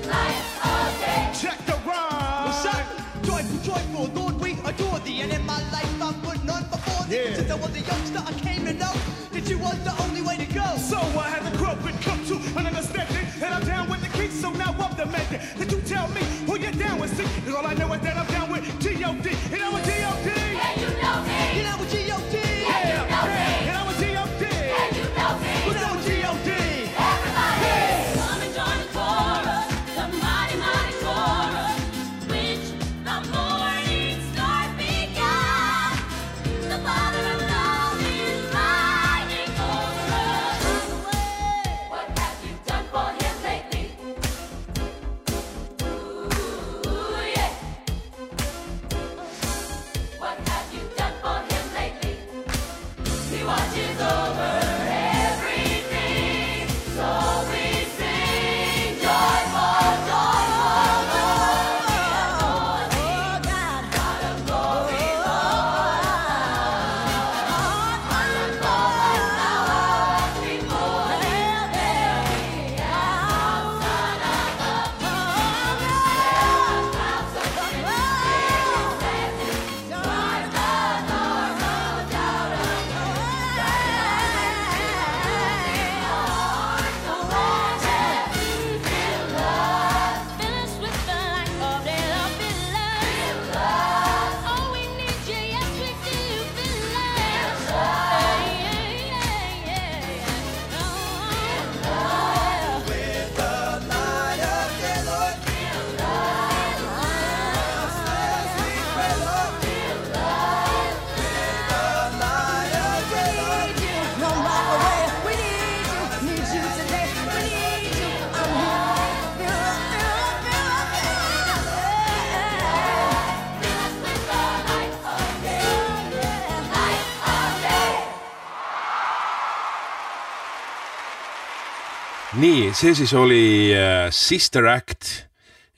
light of day. Check the rhyme. What's up? Joyful, joyful, Lord, we adore thee. And in my life I put none before thee. Yeah. Since I was a youngster, I came to know that you was the only way to go. So I had to grow and come to an understanding, and I'm down with the king, so now I'm demanding that you tell me who you're down with. See, 'cause all I know is that I'm down with G.O.D. And I'm a G.O.D. And you know me. You know what G.O.D. And you know me. And I'm a G.O.D. And you know me. Who's that with G.O.D.? Everybody. Come and join the chorus, the mighty, mighty chorus, which the morning star began. The Father of love is riding over us. What have you done for him lately? Ooh, yeah. What have you done for him lately? He watches over everything, so we sing joyful, joyful, Lord, we adore thee, God of glory, Lord. Wonderful like flowers before thee, hail me as Son of love. Sail the clouds of sin, sadness, drive the dark of doubt No matter where, we need you today. We need you. I'm here. Fill up, fill up, Nii, see siis oli Sister Act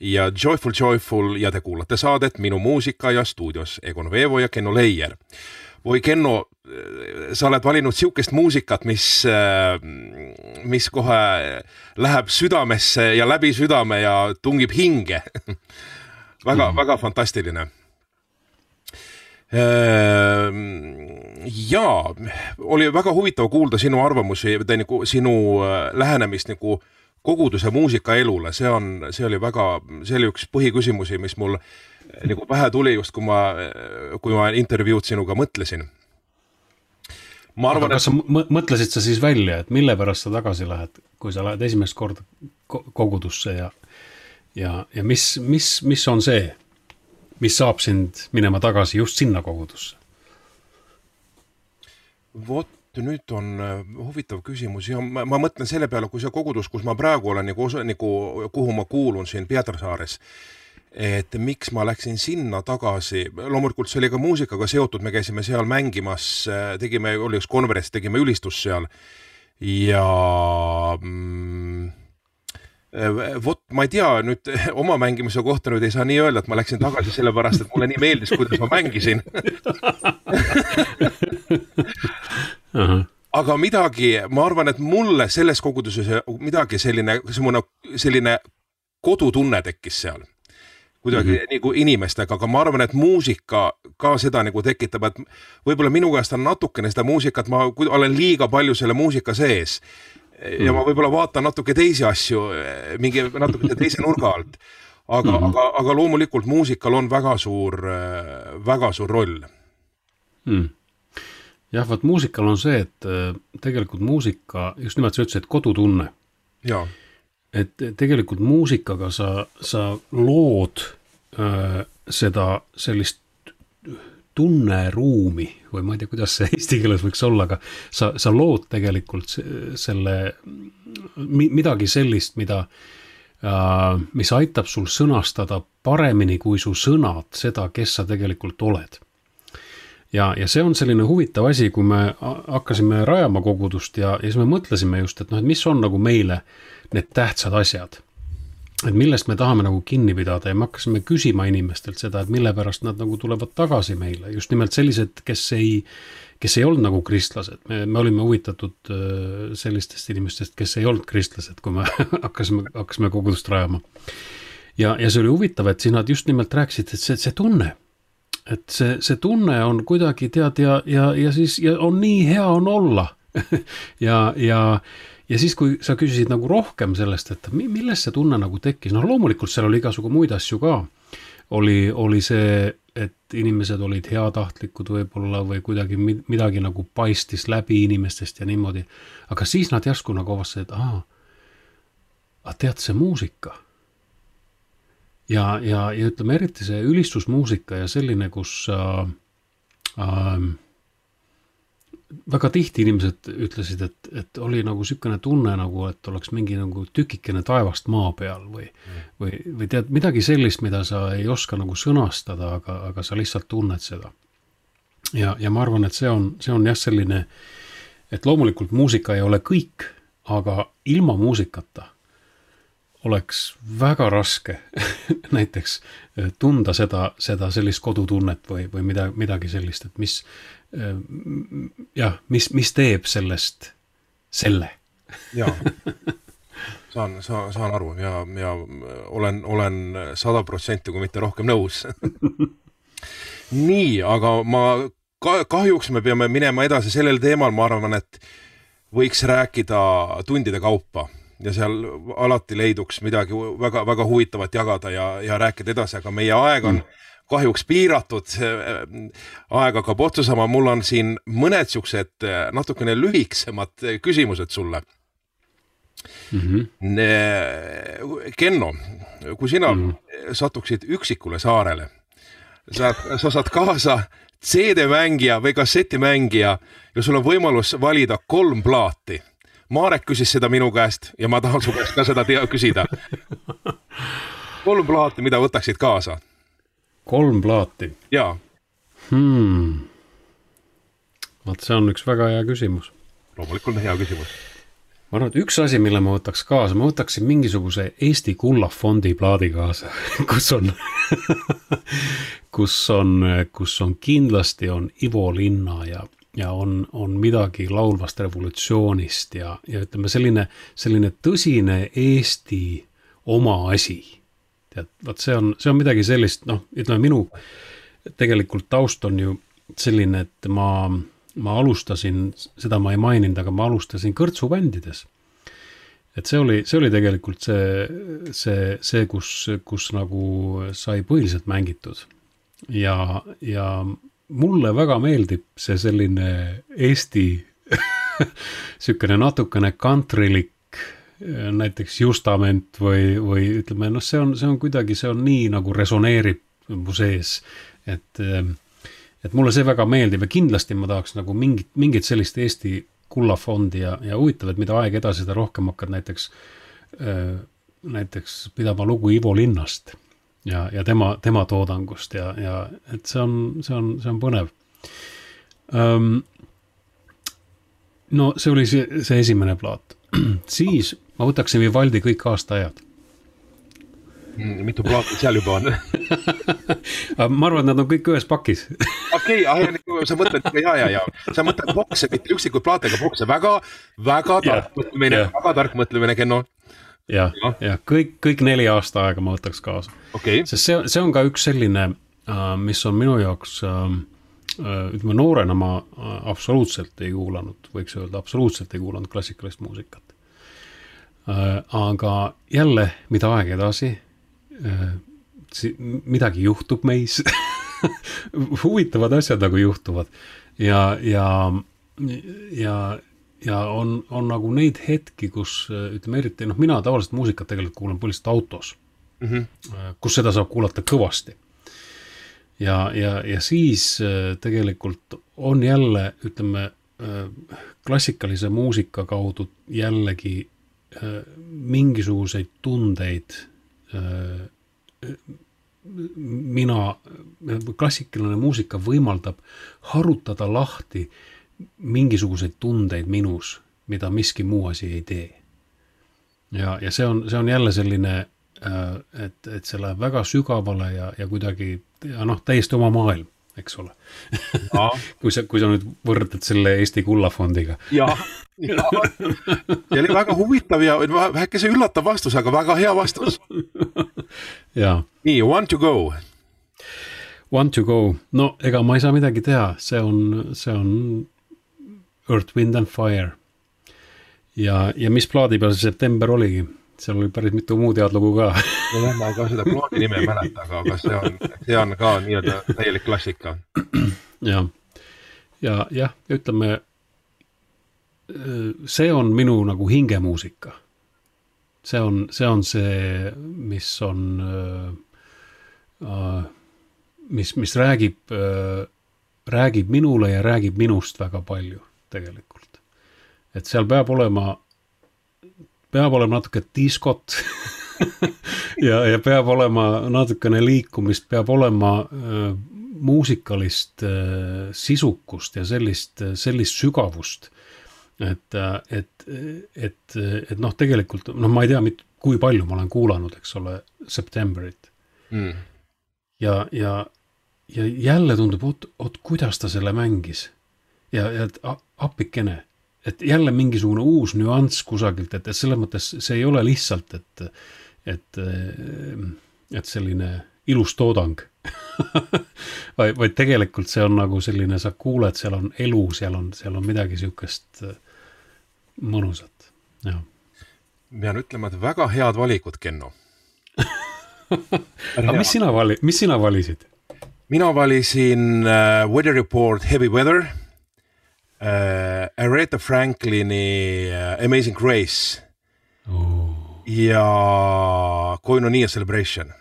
ja Joyful Joyful ja te kuulate saadet Minu muusika ja stuudios Egon Veevo ja Kenno Leier. Voi Kenno, sa oled valinud siukest muusikat, mis kohe läheb südamesse ja läbi südame ja tungib hinge. Väga fantastiline. Ja oli väga huvitav kuulda sinu arvamusi, sinu lähenemist nagu koguduse muusikaelule. See oli üks põhiküsimusi, mis mul nagu pähe tuli just, kui ma intervjuud sinuga mõtlesin. Kas sa mõtlesid sa siis välja, et mille pärast sa tagasi lähed, kui sa lähed esimest korda kogudusse ja mis on see, mis saab sind minema tagasi just sinna kogudusse? Vot, nüüd on huvitav küsimus ja ma mõtlen selle peale, kui see kogudus, kus ma praegu olen, kuhu ma kuulun siin Pietrasaares, et miks ma läksin sinna tagasi. Loomulikult see oli ka muusikaga seotud, me käisime seal mängimas, oli üks konverents, tegime ülistus seal ja vot, ma ei tea, nüüd oma mängimise kohta nüüd ei saa nii öelda, et ma läksin tagasi sellepärast, et mulle nii meeldis, kuidas ma mängisin. Aga midagi, ma arvan, et mulle selles koguduses midagi selline kodutunne tekkis seal. Kuidagi nagu inimestega, aga ma arvan, et muusika ka seda nagu tekitab, et võib-olla minu käest on natukene seda muusikat, ma olen liiga palju selle muusika sees ja ma võib-olla vaatan natuke teisi asju, natuke teise nurga alt, aga loomulikult muusikal on väga suur roll. jah, vaat muusikal on see, et tegelikult muusika, just nimelt sa ütlesid, kodutunne. Jaa. Et tegelikult muusikaga sa lood seda sellist tunneruumi või ma ei tea, kuidas see eesti keeles võiks olla, aga sa lood tegelikult selle midagi sellist, mis aitab sul sõnastada paremini kui su sõnad seda, kes sa tegelikult oled. Ja see on selline huvitav asi, kui me hakkasime rajama kogudust ja siis me mõtlesime just, et mis on nagu meile need tähtsad asjad. Et millest me tahame nagu kinni pidada ja me hakkasime küsima inimestelt seda, et mille pärast nad nagu tulevad tagasi meile. Just nimelt sellised, kes ei olnud nagu kristlased. Me olime huvitatud sellistest inimestest, kes ei olnud kristlased, kui me hakkasime kogudust rajama. Ja see oli huvitav, et siis nad just nimelt rääkisid, et see tunne, et see tunne on kuidagi tead ja siis ja on nii hea on olla. Ja siis, kui sa küsisid nagu rohkem sellest, et millest see tunne nagu tekkis, loomulikult seal oli igasugu muid asju ka. Oli see, et inimesed olid heatahtlikud võib-olla või kuidagi midagi nagu paistis läbi inimestest ja niimoodi. Aga siis nad järsku nagu avastasid, et tead see muusika. Ja ütleme eriti see ülistusmuusika ja selline, kus väga tihti inimesed ütlesid, et oli nagu sükene tunne nagu, et oleks mingi nagu tükikene taevast maa peal või tead midagi sellist, mida sa ei oska nagu sõnastada, aga sa lihtsalt tunned seda. Ja ma arvan, et see on jah selline, et loomulikult muusika ei ole kõik, aga ilma muusikata oleks väga raske näiteks tunda seda sellist kodutunnet või midagi sellist, et mis teeb sellest selle. Jaa, saan aru ja olen 100% kui mitte rohkem nõus. Nii, aga kahjuks me peame minema edasi sellel teemal, ma arvan, et võiks rääkida tundide kaupa. Ja seal alati leiduks midagi väga, väga huvitavat jagada ja rääkida edasi, aga meie aeg on kahjuks piiratud, aeg hakkab otsa sama, mul on siin mõned siuksed natukene lühiksemad küsimused sulle. Kenno, kui sina satuksid üksikule saarele, sa saad kaasa CD-mängija või kassetimängija ja sul on võimalus valida 3 plaati. Marek küsis seda minu käest ja ma tahan su käest ka seda küsida. 3 plaati, mida võtaksid kaasa? 3 plaati? Jaa. Vaat see on üks väga hea küsimus. Loomulikult hea küsimus. Ma arvan, et üks asi, mille ma võtaks kaasa, ma võtaksin mingisuguse Eesti Kullafondi plaadi kaasa, kus on kindlasti on Ivo Linna ja on midagi laulvast revolutsioonist ja ütleme selline tõsine Eesti oma asi. Tead, vaat see on midagi sellist, ütleme minu tegelikult taust on ju selline, et ma alustasin, seda ma ei maininud, aga ma alustasin kõrtsubändides. Et see oli tegelikult see kus nagu sai põhiliselt mängitud ja mulle väga meeldib see selline Eesti sükene natukene countrylik näiteks Justament või ütleme, see on kuidagi, see on nii nagu resoneerib mu sees, et mulle see väga meeldib ja kindlasti ma tahaks nagu mingit sellist Eesti Kullafondi ja huvitav, et mida aeg edasi seda rohkem hakkad näiteks pidama lugu Ivo Linnast ja tema toodangust ja et see on põnev. No see oli see esimene plaat. Siis ma võtaksin Vivaldi kõik aastaajad. Mitu plaati seal juba on? Ma arvan, et nad on kõik ühes pakis. Okei, sa mõtled, sa mõtled bokse, mitte üksikud plaatega bokse. Väga tark mõtlemine, Kenno. Ja kõik 4 aastaaega ma võtaks kaasa. Okay. Sest see on ka üks selline, mis on minu jaoks, ütleme noorena ma absoluutselt ei kuulanud, võiks öelda, absoluutselt ei kuulanud klassikalist muusikat. Aga jälle, mida aeg edasi, midagi juhtub meis huvitavad asjad nagu juhtuvad ja on nagu neid hetki, kus ütleme eriti, mina tavaliselt muusikat tegelikult kuulan põhiliselt autos, kus seda saab kuulata kõvasti. Ja siis tegelikult on jälle, ütleme, klassikalise muusika kaudu jällegi mingisuguseid tundeid klassikaline muusika võimaldab harutada lahti mingisuguseid tundeid minus, mida miski muu asi ei tee. Ja see on jälle selline, et see läheb väga sügavale ja kuidagi, täiesti oma maailm, eks ole. kui sa nüüd võrdled selle Eesti Kullafondiga. Ja oli väga huvitav ja väheke see üllatav vastus, aga väga hea vastus. Nii, Want to Go. Want to Go. No ega ma ei saa midagi teha, see on Earth, Wind and Fire. Ja mis plaadi peal see September oligi? Seal oli päris mitu muud head lugu ka. Ma ei ka seda plaadi nime mäleta, aga see on ka nii-öelda täielik klassika. Ja ütleme, see on minu nagu hingemuusika. See on see, mis on, mis räägib minule ja räägib minust väga palju tegelikult. Et seal peab olema natuke diskot ja peab olema natukene liikumist, peab olema muusikalist sisukust ja sellist sügavust, et tegelikult, ma ei tea, kui palju ma olen kuulanud, eks ole, Septemberit. Ja jälle tundub, kuidas ta selle mängis ja appikene. Et jälle mingisugune uus nüanss kusagilt, et selles mõttes see ei ole lihtsalt, et selline ilus toodang, vaid tegelikult see on nagu selline, sa kuuled, seal on elu, seal on midagi sihukest mõnusat. Ja. Pean ütlema, et väga head valikud, Kenno. Aga mis sina valisid? Mina valisin Weather Report Heavy Weather, Aretha Franklini Amazing Grace ja Koinonia Celebration.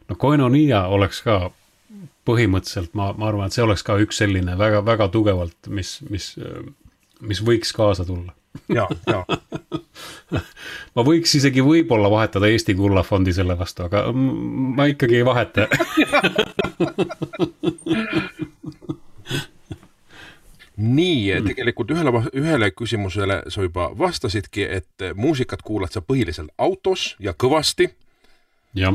No Koinonia oleks ka põhimõtteliselt, ma arvan, et see oleks ka üks selline väga, väga tugevalt, mis võiks kaasa tulla. Ja. Ma võiks isegi võib-olla vahetada Eesti Kullafondi selle vastu, aga ma ikkagi ei vaheta. Nii, tegelikult ühele küsimusele sa juba vastasidki, et muusikat kuulad sa põhiliselt autos ja kõvasti. Jah.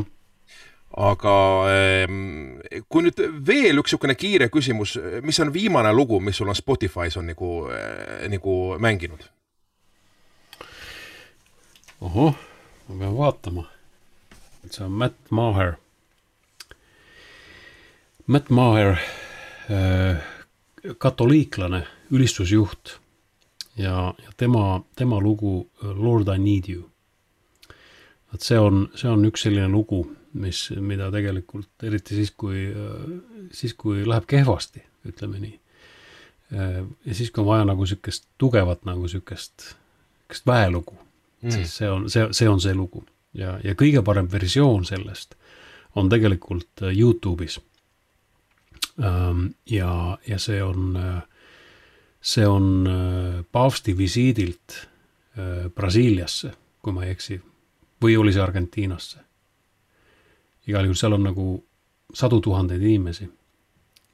Aga kui nüüd veel üks niisugune kiire küsimus, mis on viimane lugu, mis sul on Spotify's on nagu mänginud? Oho, ma pean vaatama. See on Matt Maher. Matt Maher, katoliiklane, ülistusjuht ja tema lugu Lord I Need You. Et see on üks selline lugu, mida tegelikult, eriti siis, kui läheb kehvasti, ütleme nii. Ja siis, kui on vaja nagu sükest tugevat, nagu sükest väelugu, siis see on see lugu. Ja kõige parem versioon sellest on tegelikult YouTube'is. Ja see on paavsti visiidilt Brasiiliasse, kui ma ei eksi, või oli see Argentiinasse. Igal juhul seal on nagu 100 000 inimesi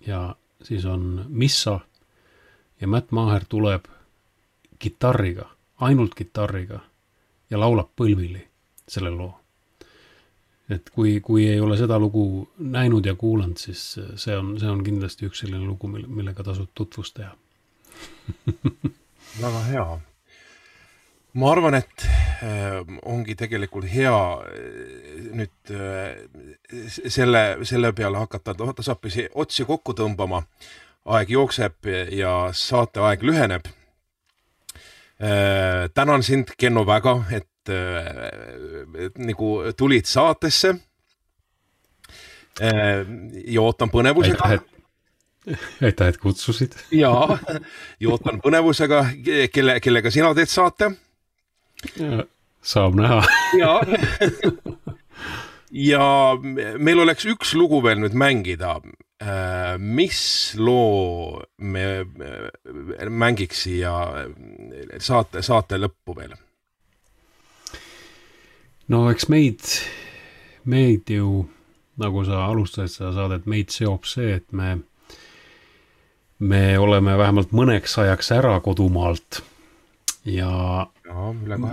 ja siis on missa ja Matt Maher tuleb kitarriga, ainult kitarriga ja laulab põlvili selle loo. Et kui ei ole seda lugu näinud ja kuulanud, siis see on kindlasti üks selline lugu, millega tasub tutvust teha. Väga hea. Ma arvan, et ongi tegelikult hea nüüd selle peale hakata tasapisi otsi kokku tõmbama. Aeg jookseb ja saate aeg lüheneb. Tänan sind, Kenno, väga, et nagu tulid saatesse. ja ootan põnevusega. Aitäh, et kutsusid. Ja ootan põnevusega, kellega sina teed saate. Saab näha. Ja meil oleks üks lugu veel nüüd mängida. Mis loo me mängiks siia saate lõppu veel? No eks meid ju, nagu sa alustasid seda saadet, meid seob see, et me oleme vähemalt mõneks ajaks ära kodumaalt ja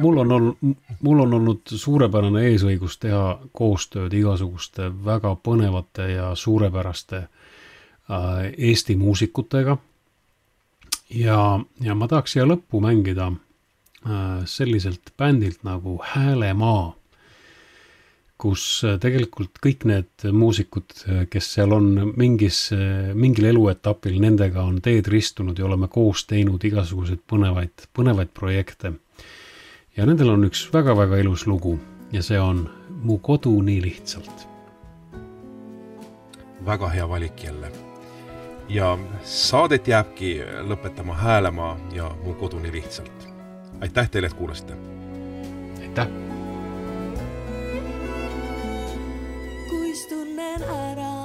mul on olnud suurepärane eesõigus teha koostööd igasuguste väga põnevate ja suurepäraste Eesti muusikutega ja ma tahaks siia lõppu mängida selliselt bändilt nagu Häälemaa, kus tegelikult kõik need muusikud, kes seal on mingil eluetapil, nendega on teed ristunud ja oleme koos teinud igasuguseid põnevaid projekte. Ja nendel on üks väga-väga ilus lugu ja see on Mu kodu nii lihtsalt. Väga hea valik jälle. Ja saadet jääbki lõpetama Häälemaa ja Mu kodu nii lihtsalt. Aitäh teile, et kuulasite. Aitäh. Kuis tunnen ära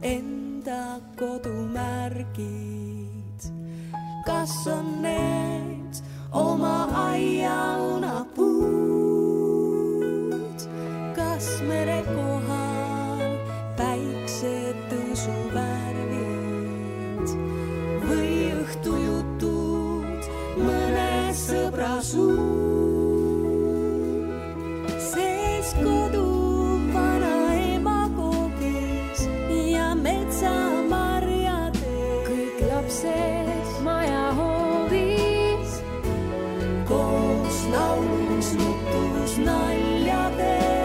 enda kodumärgid, kas on need oma aiaunapuud, kas mere kohal päiksetõusu värvid või õhtujutud mõne sõbra suu. Sees kodu vanaema koogis ja metsamarjade, kõik lapsed maja hoovis, koos laulus, nutus, naljades.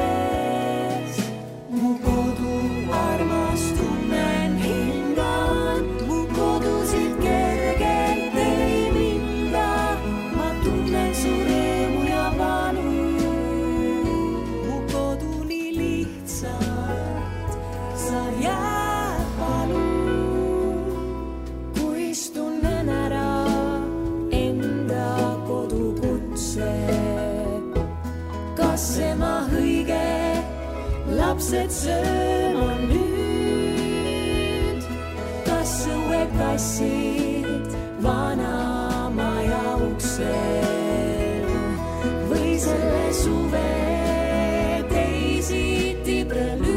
Mu kodu armas tunnen hingan, mu kodusid kergelt ei minda, ma tunnen su rõõmu ja valu. Mu kodu nii lihtsalt, sa jääd palun, kuis tunnen ära enda kodukutse. Kas ema õige, lapsed sööma nüüd, kas õuekassid vana maja uksel või selle suve teisiti prelüüd,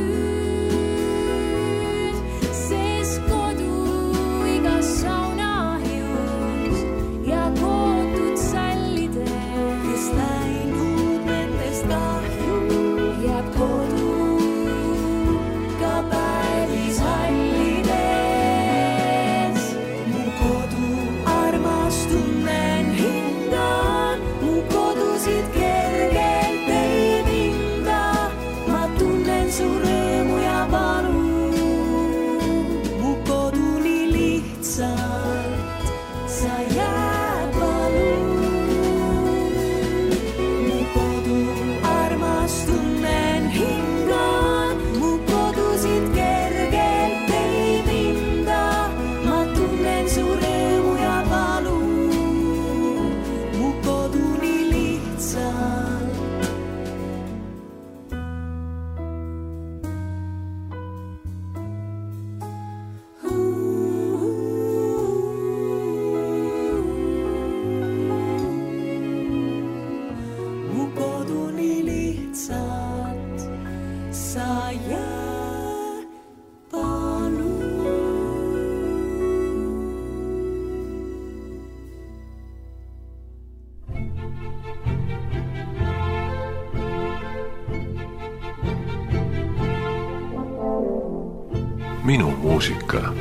sest kodu igas saunahius ja kootud sallidel, kes läinud nendest kahju, jääb kodu ka päevis hallides. Mu kodu armas tunnen hingan, mu kodusid kergelt ei minda, ma tunnen su rõõmu ja valu. Mu kodu nii lihtsalt, sa jääd palun. Mu kodu armas tunnen hingan, mu kodusid kergelt ei minda, ma tunnen su rõõmu ja valu. Mu kodu nii lihtsalt. Mu kodu nii lihtsalt, sa jääd palun. Minu muusika.